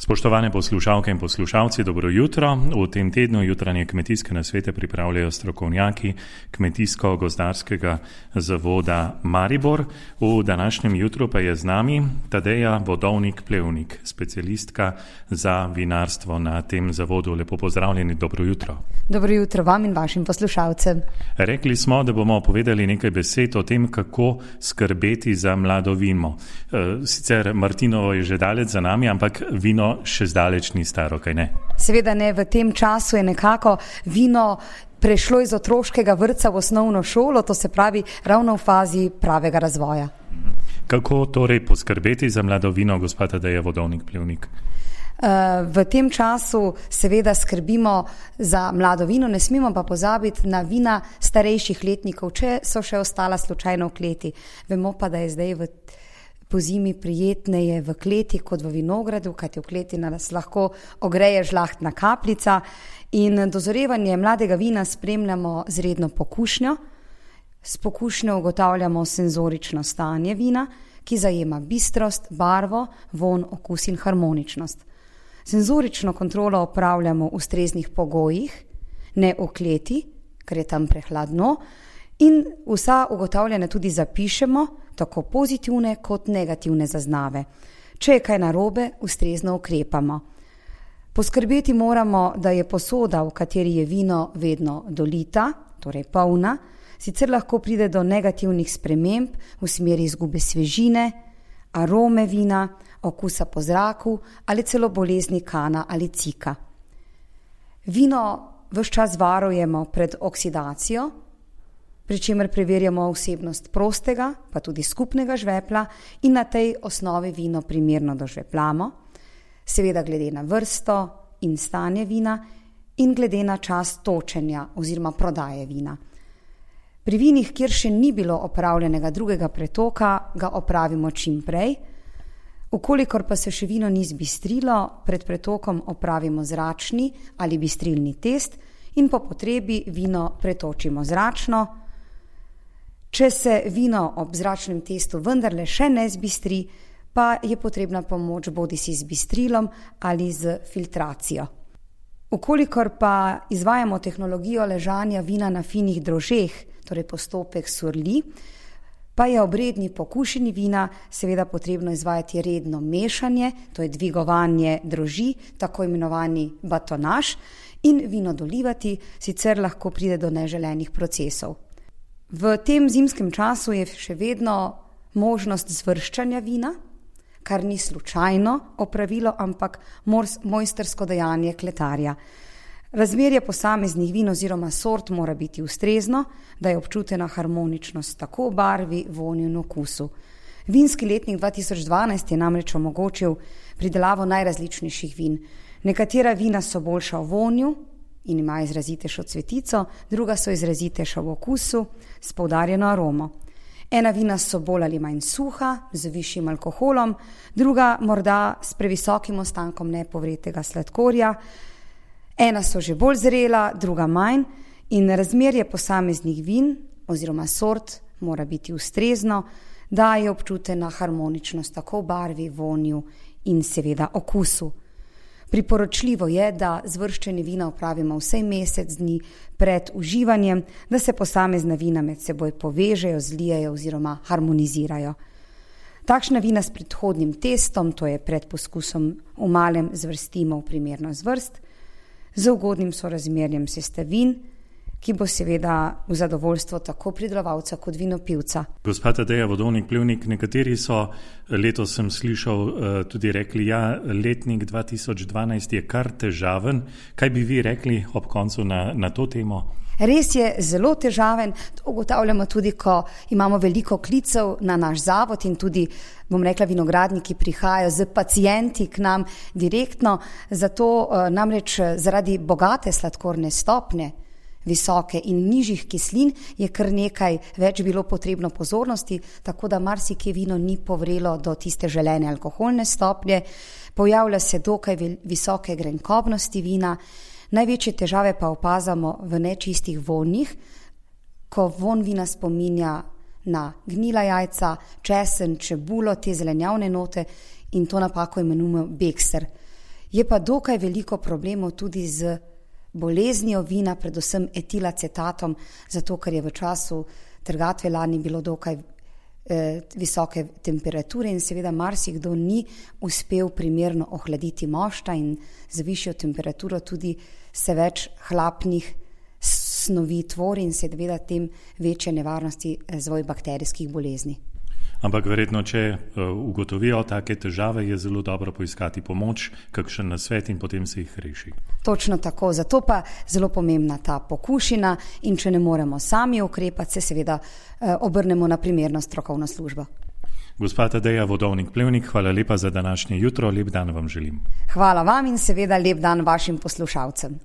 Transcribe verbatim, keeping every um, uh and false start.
Spoštovane poslušalke in poslušalci, dobro jutro. V tem tednu jutranje kmetijske nasvete pripravljajo strokovnjaki Kmetijsko-gozdarskega zavoda Maribor. V današnjem jutru pa je z nami Tadeja Vodovnik-Plevnik, specialistka za vinarstvo na tem zavodu. Lepo pozdravljeni, dobro jutro. Dobro jutro vam in vašim poslušalcem. Rekli smo, da bomo povedali nekaj besed o tem, kako skrbeti za mlado vino. Sicer Martinovo je že daleč za nami, ampak vino še zdaleč ni staro, kaj ne? Seveda ne, v tem času je nekako vino prešlo iz otroškega vrtca v osnovno šolo, to se pravi ravno v fazi pravega razvoja. Kako torej poskrbeti za mlado vino, gospa Tadeja Vodovnik-Plevnik? V tem času seveda skrbimo za mlado vino, ne smemo pa pozabiti na vina starejših letnikov, če so še ostala slučajno v kleti. Vemo pa, da je zdaj v po zimi prijetneje v kleti kot v vinogradu, kajti v kleti nas lahko ogreje žlahtna kapljica in dozorevanje mladega vina spremljamo z redno pokušnjo. S pokušnjo ugotavljamo senzorično stanje vina, ki zajema bistrost, barvo, vonj, okus in harmoničnost. Senzorično kontrolo opravljamo v ustreznih pogojih, ne v kleti, ker je tam prehladno, in vsa ugotavljanja tudi zapišemo, tako pozitivne kot negativne zaznave. Če je kaj narobe, ustrezno ukrepamo. Poskrbeti moramo, da je posoda, v kateri je vino, vedno dolita, torej polna, sicer lahko pride do negativnih sprememb v smeri izgube svežine, arome vina, okusa po zraku ali celo bolezni kana ali cika. Vino ves čas varujemo pred oksidacijo, pri čemer preverjamo vsebnost prostega, pa tudi skupnega žvepla in na tej osnovi vino primerno dožveplamo, seveda glede na vrsto in stanje vina in glede na čas točenja oziroma prodaje vina. Pri vinih, kjer še ni bilo opravljenega drugega pretoka, ga opravimo čim prej. Ukolikor pa se še vino ni zbistrilo, pred pretokom opravimo zračni ali bistrilni test in po potrebi vino pretočimo zračno. Če se vino ob zračnem testu vendarle še ne zbistri, pa je potrebna pomoč bodisi z bistrilom ali z filtracijo. Ukolikor pa izvajamo tehnologijo ležanja vina na finih drožeh, torej postopek surli, pa je ob redni pokušini vina seveda potrebno izvajati redno mešanje, to je dvigovanje droži, tako imenovani batonaž, in vino dolivati, sicer lahko pride do neželenih procesov. V tem zimskem času je še vedno možnost zvrščanja vina, kar ni slučajno opravilo, ampak mojstrsko dejanje kletarja. Razmerje posameznih vin oziroma sort mora biti ustrezno, da je občutena harmoničnost tako v barvi, vonju in okusu. Vinski letnik dva tisoč dvanajst je namreč omogočil pridelavo najrazličnejših vin. Nekatera vina so boljša v vonju in ima izrazitejšo cvetico, druga so izrazitejša v okusu s poudarjeno aromo. Ena vina so bolj ali manj suha, z višjim alkoholom, druga morda s previsokim ostankom nepovretega sladkorja, ena so že bolj zrela, druga manj in razmerje posameznih vin oziroma sort mora biti ustrezno, da je občutena harmoničnost tako v barvi, vonju in seveda okusu. Priporočljivo je, da zvrščanje vina opravimo vsaj mesec dni pred uživanjem, da se posamezna vina med seboj povežejo, zlijejo oziroma harmonizirajo. Takšna vina s predhodnim testom, to je pred poskusom v malem, zvrstimo v primerno zvrst, z ugodnim sorazmerjem sestavin, ki bo seveda v zadovoljstvo tako pridelovalca kot vinopivca. Gospa Tadeja Vodovnik-Plevnik, nekateri so, letos sem slišal, tudi rekli, ja, letnik dva tisoč dvanajst je kar težaven. Kaj bi vi rekli ob koncu na, na to temo? Res je zelo težaven, to ugotavljamo tudi, ko imamo veliko klicev na naš zavod in tudi, bom rekla, vinogradniki prihajajo z pacienti k nam direktno, zato namreč zaradi bogate sladkorne stopnje, visoke in nižjih kislin je kar nekaj več bilo potrebno pozornosti, tako da marsikje vino ni povrelo do tiste želene alkoholne stopnje, pojavlja se dokaj visoke grenkobnosti vina, največje težave pa opazamo v nečistih vonjih, ko vonj vina spominja na gnila jajca, česen, čebulo, te zelenjavne note in to napako imenujemo bekser. Je pa dokaj veliko problemov tudi z boleznijo vina, predvsem etilacetatom, zato ker je v času trgatve lani bilo dokaj eh, visoke temperature in seveda marsikdo ni uspel primerno ohladiti mošta in z višjo temperaturo tudi se več hlapnih snovi tvori in seveda tem večje nevarnosti razvoj bakterijskih bolezni. Ampak verjetno, če ugotovijo take težave, je zelo dobro poiskati pomoč, kakšen nasvet in potem se jih reši. Točno tako, zato pa zelo pomembna ta pokušina in če ne moremo sami ukrepati, se seveda obrnemo na primerno strokovno službo. Gospa Tadeja Vodovnik-Plevnik, hvala lepa za današnje jutro, lep dan vam želim. Hvala vam in seveda lep dan vašim poslušalcem.